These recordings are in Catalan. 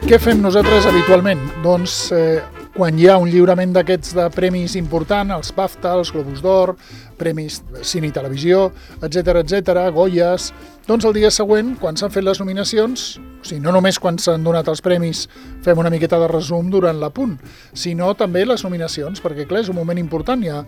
Què fem nosaltres habitualment? Doncs quan hi ha un lliurament d'aquests de premis important, els BAFTA, els Globus d'Or, premis cine i televisió, etc, Goyes, doncs el dia següent, quan s'han fet les nominacions, o sigui, no només quan s'han donat els premis fem una miqueta de resum durant l'apunt, sinó també les nominacions, perquè clar, és un moment important, hi ha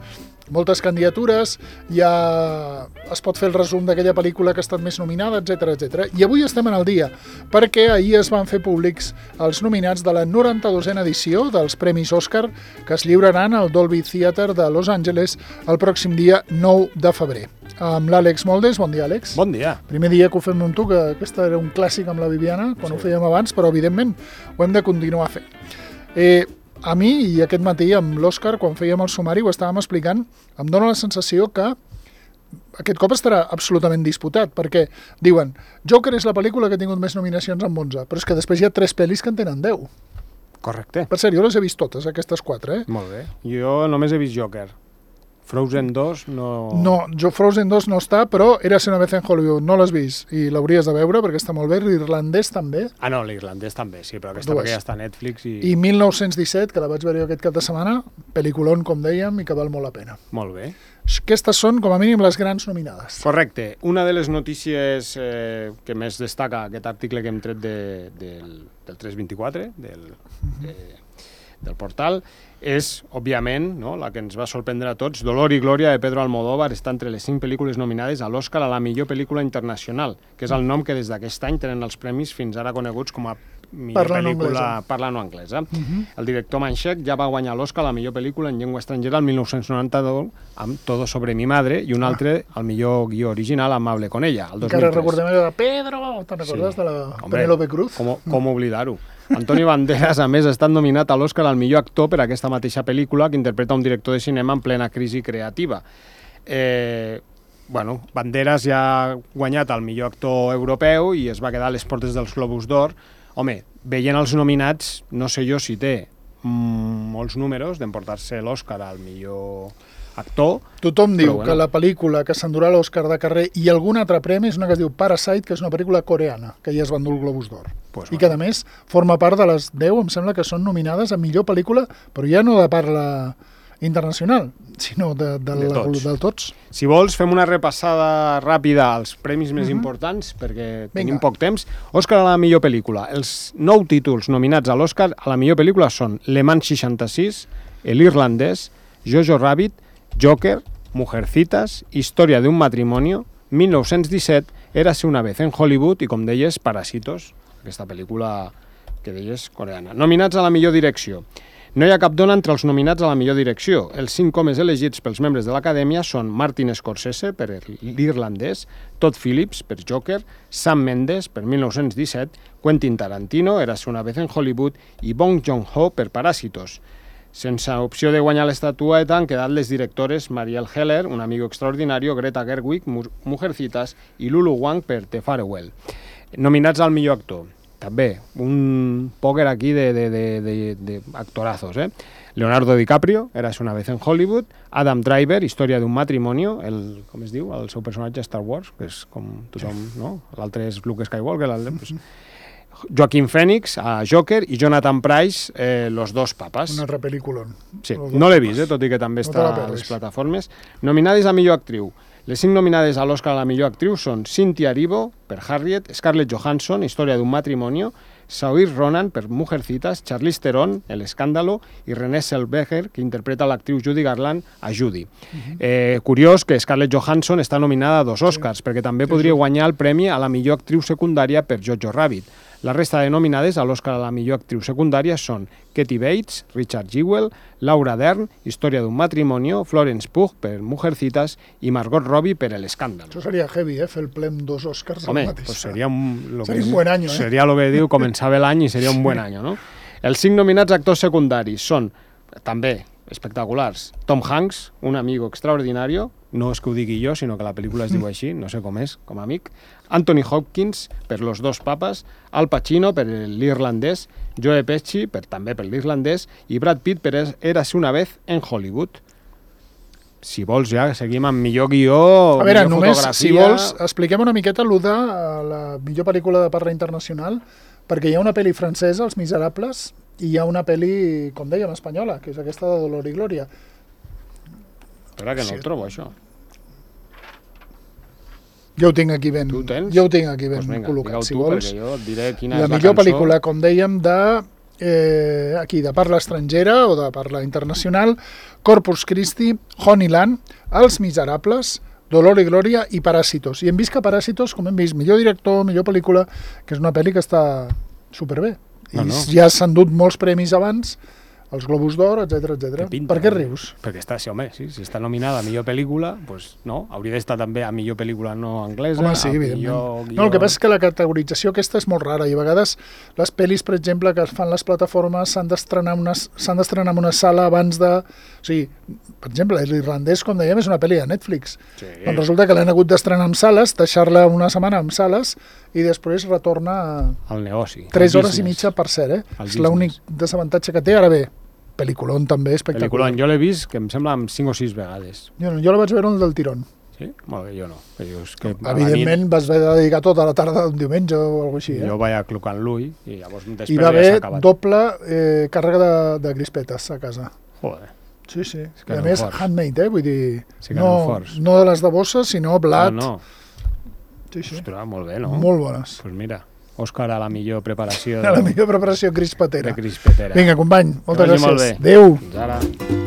moltes candidatures, es pot fer el resum d'aquella pel·lícula que ha estat més nominada, etc. I avui estem en el dia, perquè ahir es van fer públics els nominats de la 92a edició dels Premis Òscar, que es lliuraran al Dolby Theatre de Los Angeles el pròxim dia 9 de febrer. Amb l'Àlex Moldes. Bon dia, Àlex. Bon dia. Primer dia que ho fem amb tu, que aquesta era un clàssic amb la Viviana, quan ho fèiem abans, però evidentment ho hem de continuar fent. A mi, i aquest matí amb l'Òscar, quan fèiem el sumari, ho estàvem explicant, em dóna la sensació que aquest cop estarà absolutament disputat, perquè diuen, Joker és la pel·lícula que ha tingut més nominacions amb 11, però és que després hi ha 3 pel·lis que en tenen 10. Correcte. Per cert, jo les he vist totes, aquestes 4, Molt bé. Jo només he vist Joker. Frozen 2 no... No, Frozen 2 no està, però Érase una vez en Hollywood, no l'has vist, i l'hauries de veure perquè està molt bé, l'irlandès també. Ah, no, l'irlandès també, sí, però aquesta perquè ja està a Netflix i... I 1917, que la vaig veure jo aquest cap de setmana, pel·liculón, com dèiem, i que val molt la pena. Molt bé. Aquestes són, com a mínim, les grans nominades. Correcte. Una de les notícies que més destaca aquest article que hem tret del 324, del portal, és, òbviament, no, la que ens va sorprendre a tots, Dolor i Glòria de Pedro Almodóvar està entre les 5 pel·lícules nominades a l'Òscar a la millor pel·lícula internacional, que és el nom que des d'aquest any tenen els premis fins ara coneguts com a millor pel·lícula parlant o anglesa. El director Manchek ja va guanyar l'Òscar a la millor pel·lícula en llengua estrangera el 1992 amb Todo sobre mi madre i un altre al millor guió original Amable con ella, el 2003. Encara recordem allò de Pedro, te'n recordes de la Penélope Cruz? Com oblidar-ho. Antonio Banderas, a més, ha estat nominat a l'Òscar al millor actor per aquesta mateixa pel·lícula que interpreta un director de cinema en plena crisi creativa. Banderas ja ha guanyat el millor actor europeu i es va quedar a les portes dels Globus d'Or. Home, veient els nominats, no sé jo si té molts números d'emportar-se l'Òscar al millor actor. Tothom diu que la pel·lícula que s'endurà l'Òscar de carrer i algun altre premi és una que es diu Parasite, que és una pel·lícula coreana, que ja es va endur el Globus d'Or. I que, a més, forma part de les 10, em sembla que són nominades a millor pel·lícula, però ja no de parla internacional, sinó de tots. Si vols, fem una repassada ràpida als premis més importants, perquè tenim poc temps. Òscar a la millor pel·lícula. Els 9 títols nominats a l'Òscar a la millor pel·lícula són Le Mans 66, l'Irlandès, Jojo Rabbit, Joker, Mujercitas, Historia de un matrimonio, 1917, Érase una vez en Hollywood i, com deies, Parásitos, aquesta pel·lícula que deies coreana. Nominats a la millor direcció. No hi ha cap dona entre els nominats a la millor direcció. Els 5 homes elegits pels membres de l'Acadèmia són Martin Scorsese per l'Irlandès, Todd Phillips per Joker, Sam Mendes per 1917, Quentin Tarantino, Érase una vez en Hollywood i Bong Joon-ho per Parásitos. Sense opció de guanyar l'estatueta han quedat les directores Marielle Heller, Un amigo extraordinario, Greta Gerwig, Mujercitas i Lulu Wang per The Farewell. Nominats al millor actor. També, un pòquer aquí d'actorazos, Leonardo DiCaprio, Érase una vez en Hollywood, Adam Driver, Historia de un matrimonio, com es diu, el seu personatge a Star Wars, que és com tothom, no? L'altre és Luke Skywalker, Joaquin Phoenix, a Joker, i Jonathan Pryce, Los dos papas. Un altre pel·lículon. Sí, no l'he vist, tot i que també està a les plataformes. Nominades a millor actriu. Les 5 nominades a l'Òscar a la millor actriu són Cynthia Erivo, per Harriet, Scarlett Johansson, Historia de un matrimonio, Saoirse Ronan, per Mujercitas, Charlize Theron, El escándalo, i Renée Zellweger, que interpreta l'actriu Judy Garland, a Judy. Curiós que Scarlett Johansson està nominada a 2 Oscars, perquè també podria guanyar el premi a la millor actriu secundària per Jojo Rabbit. La resta de nominades a l'Òscar a la millor actriu secundària són Kathy Bates, Richard Jewell, Laura Dern, Historia de un matrimonio, Florence Pugh per Mujercitas i Margot Robbie per El escándalo. Això seria heavy, fer el plem 2 Oscars al mateix. Pues seria un buen any, Seria el que diu, començava l'any i seria un buen any, no? Els 5 nominats actors secundaris són, també, espectaculars. Tom Hanks, Un amigo extraordinario, no és que ho digui jo, sinó que la pel·lícula es diu així, no sé com és, com a amic. Anthony Hopkins, per Los dos papas, Al Pacino, per l'Irlandès, Joe Pesci, també per l'Irlandès, i Brad Pitt, per Érase una vez en Hollywood. Si vols, ja seguim amb millor guió, a veure, millor només, fotografia... si vols, expliquem una miqueta allò de la millor pel·lícula de parla internacional, perquè hi ha una pel·li francesa, Els Miserables, i hi ha una pel·li, com dèiem, espanyola, que és aquesta de Dolor i Glòria. Espera, que no ho trobo, això. Jo ho tinc aquí ben, Tu ho tens? jo ho tinc aquí ben Doncs vinga, col·locat, digue-ho si tu, vols. perquè jo et diré quina La és la millor cançó. pel·lícula, com dèiem, de parla estrangera o de parla internacional, Corpus Christi, Honeyland, Els Miserables, Dolor i Glòria i Paràsitos. I hem vist que Paràsitos, com hem vist, millor director, millor pel·lícula, que és una pel·li que està superbé. I ja s'han dut molts premis abans, els Globus d'Or, etc etc. Per què rius? Perquè està, sí, home, sí, si està nominada a millor pel·lícula, doncs no, hauria d'estar també a millor pel·lícula no anglesa, home, sí, a evidentment. millor guió... No, el que passa és que la categorització aquesta és molt rara i a vegades les pel·lis, per exemple, que es fan les plataformes s'han d'estrenar en una sala abans de... O sigui, per exemple, l'Irlandès, com dèiem, és una pel·li de Netflix. Sí. Doncs resulta que l'han hagut d'estrenar en sales, deixar-la una setmana en sales i després retorna al negoci. 3 hores i mitja, per cert, És l'únic desavantatge que té. Ara bé, pel·lículon també espectacular. Pel·lículon, jo l'he vist, que em sembla, 5 o 6 vegades. Jo la vaig veure un del tirón. Sí? Molt bé, jo no. És que evidentment vas haver de dedicar tota la tarda d'un diumenge o alguna cosa així. Jo vaig aclucant l'ull i llavors després I va ja haver s'ha acabat. doble càrrega de crispetes a casa. Joder. Sí, sí. que I a no més, forts. handmade, vull dir, Sí que no forts. no de les de bossa, sinó blat. No. Sí, sí. Ostres, molt bé, no? Molt bones. Doncs mira, Òscar a la millor preparació La millor preparació crispetera. de crispetera. Vinga, company, moltes Que vagi molt gràcies. bé. Adéu. Fins ara.